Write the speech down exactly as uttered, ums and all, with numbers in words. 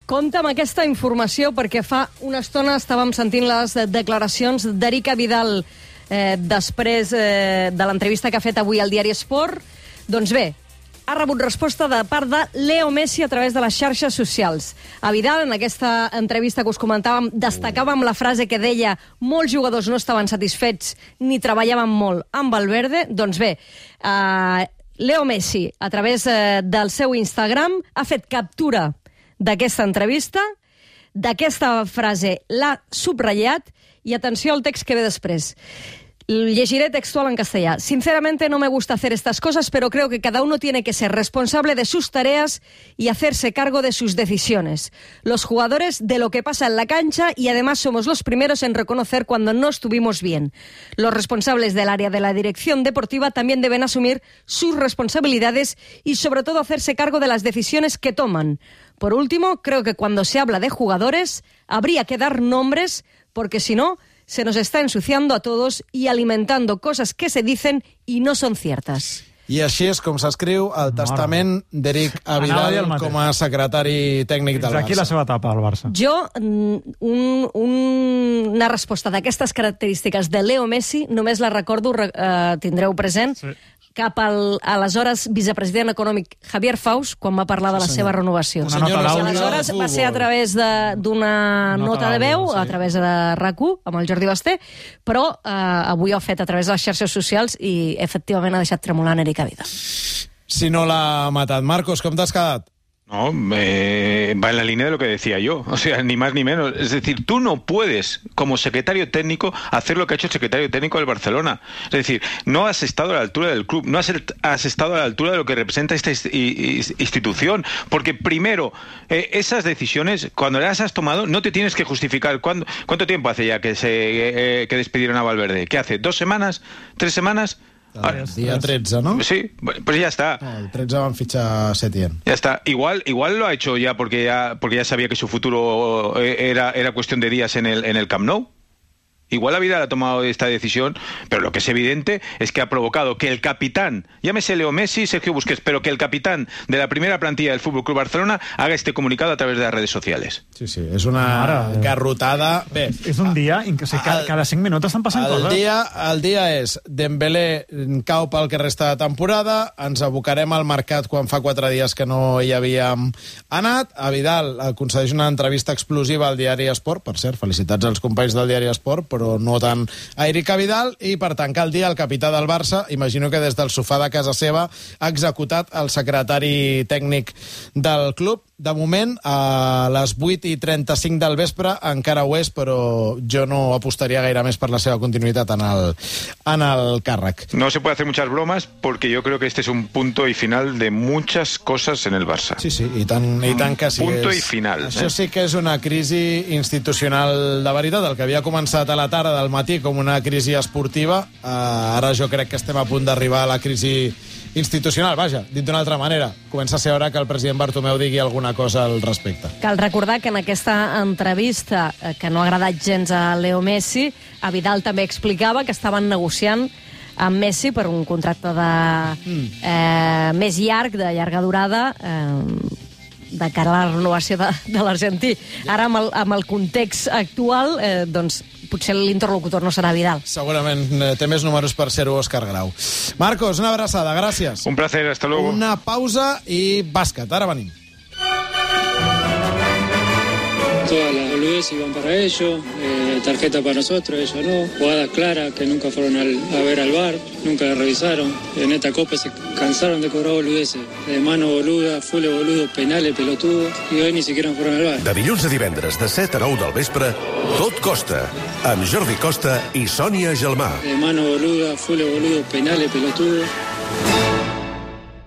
Compte amb aquesta informació perquè fa una estona estàvem sentint les declaracions d'Erica Vidal eh, després eh, de l'entrevista que ha fet avui al diari Esport. Doncs bé, ha rebut resposta de part de Leo Messi a través de les xarxes socials. A Vidal, en aquesta entrevista que us comentàvem, destacàvem la frase que deia molts jugadors no estaven satisfets ni treballaven molt amb Valverde. Doncs bé, eh, Leo Messi, a través eh, del seu Instagram, ha fet captura d'aquesta entrevista, d'aquesta frase l'ha subratllat y atenció al text que ve després. Llegiré textual en castellà. Sinceramente no me gusta hacer estas cosas, pero creo que cada uno tiene que ser responsable de sus tareas y hacerse cargo de sus decisiones. Los jugadores de lo que pasa en la cancha y además somos los primeros en reconocer cuando no estuvimos bien. Los responsables del área de la dirección deportiva también deben asumir sus responsabilidades y sobre todo hacerse cargo de las decisiones que toman. Por último, creo que cuando se habla de jugadores habría que dar nombres porque si no se nos está ensuciando a todos y alimentando cosas que se dicen y no son ciertas. I així és com s'escriu el testament d'Eric Vidal com a secretari tècnic del Barça. Aquí la seva etapa al Barça. Jo, un, un, una resposta d'aquestes característiques de Leo Messi, només la recordo, eh, tindreu present, sí. cap al aleshores vicepresident econòmic Javier Faus, quan va parlar de la sí, seva renovació. Una nota d'àudio. Aleshores va ser a través d'una nota, nota de veu, sí. a través de RAC u, amb el Jordi Basté, però eh, avui ho ha fet a través de les xarxes socials i efectivament ha deixat tremolant Eric Vidal. Si no l'ha matat. Marcos, com t'has quedat? No, eh, va en la línea de lo que decía yo, o sea, ni más ni menos. Es decir, tú no puedes, como secretario técnico, hacer lo que ha hecho el secretario técnico del Barcelona. Es decir, no has estado a la altura del club, no has, has estado a la altura de lo que representa esta institución, porque primero, eh, esas decisiones, cuando las has tomado, no te tienes que justificar. ¿Cuándo, ¿Cuánto tiempo hace ya que, se, eh, que despidieron a Valverde? ¿Qué hace? ¿Dos semanas? ¿Tres semanas? El día trece, ¿no? Sí, pues ya está. No, el trece van fichar Setién. Ya está. Igual, igual lo ha hecho ya porque ya porque ya sabía que su futuro era, era cuestión de días en el, en el Camp Nou. Igual la vida ha tomado esta decisión, pero lo que es evidente es que ha provocado que el capitán, llámese Leo Messi, Sergio Busquets, pero que el capitán de la primera plantilla del F C Barcelona haga este comunicado a través de las redes sociales. Sí, sí, és una Ara, garrotada. Bé, és un dia en què o sigui, cada, cada cinc minuts estan passant el coses. Dia, el dia és Dembélé cau pel que resta de temporada, ens abocarem al mercat quan fa quatre dies que no hi havíem anat. A Vidal concedeix una entrevista explosiva al diari Esport, per cert, felicitats als companys del diari Esport, però no tant a Eric Vidal, i per tancar el dia el capità del Barça, imagino que des del sofà de casa seva ha executat el secretari tècnic del club. De moment, a les vuit i trenta-cinc del vespre encara ho és, però jo no apostaria gaire més per la seva continuïtat en el, en el càrrec. No se puede hacer muchas bromas porque yo creo que este es un punto y final de muchas cosas en el Barça. Sí, sí, i tant, i tant que sí. Punto és. i final. Això eh? sí que és una crisi institucional de veritat, el que havia començat a la tarda del matí com una crisi esportiva, eh, ara jo crec que estem a punt d'arribar a la crisi institucional, vaja, dit d'una altra manera. Comença a ser hora que el president Bartomeu digui alguna cosa al respecte. Cal recordar que en aquesta entrevista, que no ha agradat gens a Leo Messi, a Vidal també explicava que estaven negociant amb Messi per un contracte de, eh, més llarg, de llarga durada, eh, de cara a la renovació de, de l'argentí. Ara, amb el, amb el context actual, eh, doncs, potser l'interlocutor no serà Vidal. Segurament té més números per ser-ho Òscar Grau. Marcos, una abraçada, gràcies. Un placer, hasta luego. Una pausa i bàsquet, ara venim. Todas las boludeces iban para ellos, eh, tarjeta para nosotros, ellos no. Jugadas claras que nunca fueron al, a ver al V A R, nunca la revisaron. En esta copa se cansaron de cobrar boludeces. De mano boluda, full boludo, penales, pelotudos, y hoy ni siquiera fueron al V A R. De dilluns a divendres, de set a nou del vespre, Tot Costa, amb Jordi Costa i Sònia Gelmà. De mano boluda, full boludo, penales, pelotudos.